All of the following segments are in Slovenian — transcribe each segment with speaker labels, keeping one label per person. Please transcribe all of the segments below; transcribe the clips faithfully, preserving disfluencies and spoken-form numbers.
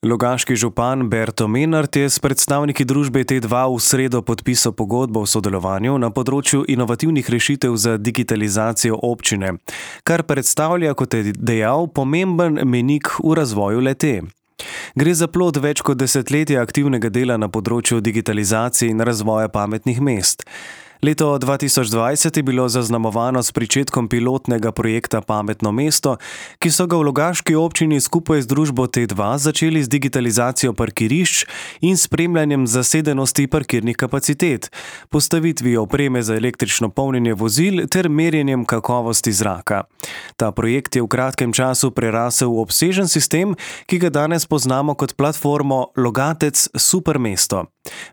Speaker 1: Logaški župan Berto Menart je s predstavniki družbe T dva v sredo podpisal pogodbo o sodelovanju na področju inovativnih rešitev za digitalizacijo občine, kar predstavlja, kot je dejal, pomemben mejnik v razvoju le-te. Gre za plod več kot desetletja aktivnega dela na področju digitalizacije in razvoja pametnih mest. Leto dva tisoč dvajset je bilo zaznamovano s pričetkom pilotnega projekta Pametno mesto, ki so ga v Logaški občini skupaj z družbo T dva začeli z digitalizacijo parkirišč in spremljanjem zasedenosti parkirnih kapacitet, postavitvijo opreme za električno polnjenje vozil ter merjenjem kakovosti zraka. Ta projekt je v kratkem času prerasel v obsežen sistem, ki ga danes poznamo kot platformo Logatec Super mesto.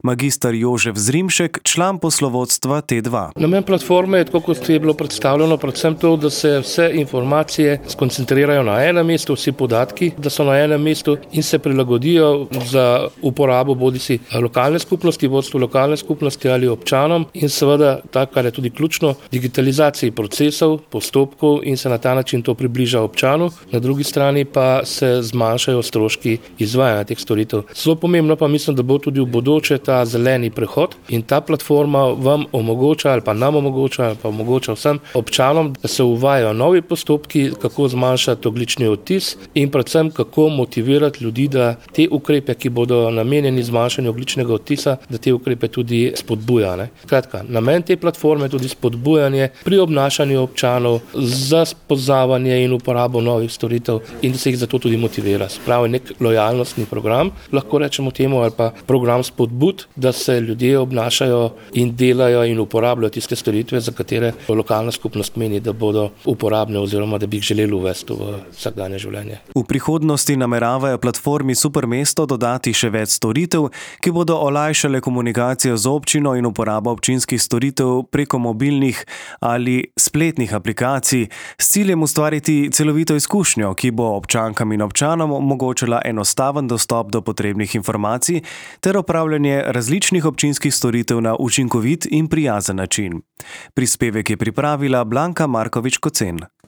Speaker 1: Magister Jožef Zrimšek, član poslovodstva T dva.
Speaker 2: Namen platforme je, tako kot je bilo predstavljeno, predvsem to, da se vse informacije skoncentrirajo na enem mestu, vsi podatki, da so na enem mestu in se prilagodijo za uporabo bodisi lokalne skupnosti, vodstvo lokalne skupnosti ali občanom in seveda, tako kar je tudi ključno, digitalizaciji procesov, postopkov in se na ta način to približa občanu, na drugi strani pa se zmanjšajo stroški izvajanja teh storitev. Zelo pomembno pa mislim, da bo tudi v bodoče ta zeleni prehod in ta platforma vam omogoča ali pa nam omogoča ali pa omogoča vsem občanom, da se uvajajo novi postopki, kako zmanjšati ogljični odtis in predvsem kako motivirati ljudi, da te ukrepe, ki bodo namenjeni zmanjšanju ogljičnega odtisa, da te ukrepe tudi spodbuja. Ne? Kratka, namen te platforme je tudi spodbujanje pri obnašanju občanov za spoznavanje in uporabo novih storitev in da se jih zato tudi motivira. Spravi nek lojalnostni program, lahko rečemo temu, ali pa program spodbud, da se ljudje obnašajo in delajo in uporabljajo tiste storitve, za katere lokalna skupnost meni, da bodo uporabne oziroma da bi jih želeli uvesti v vsakdanje življenje.
Speaker 1: V prihodnosti nameravajo platformi Super mesto dodati še več storitev, ki bodo olajšale komunikacijo z občino in uporabo občinskih storitev preko mobilnih ali spletnih aplikacij s ciljem ustvariti celovito izkušnjo, ki bo občankam in občanom omogočila enostaven dostop do potrebnih informacij ter opravljanje različnih občinskih storitev na učinkovit in prijazen način. Prispevek je pripravila Blanka Markovič-Kocen.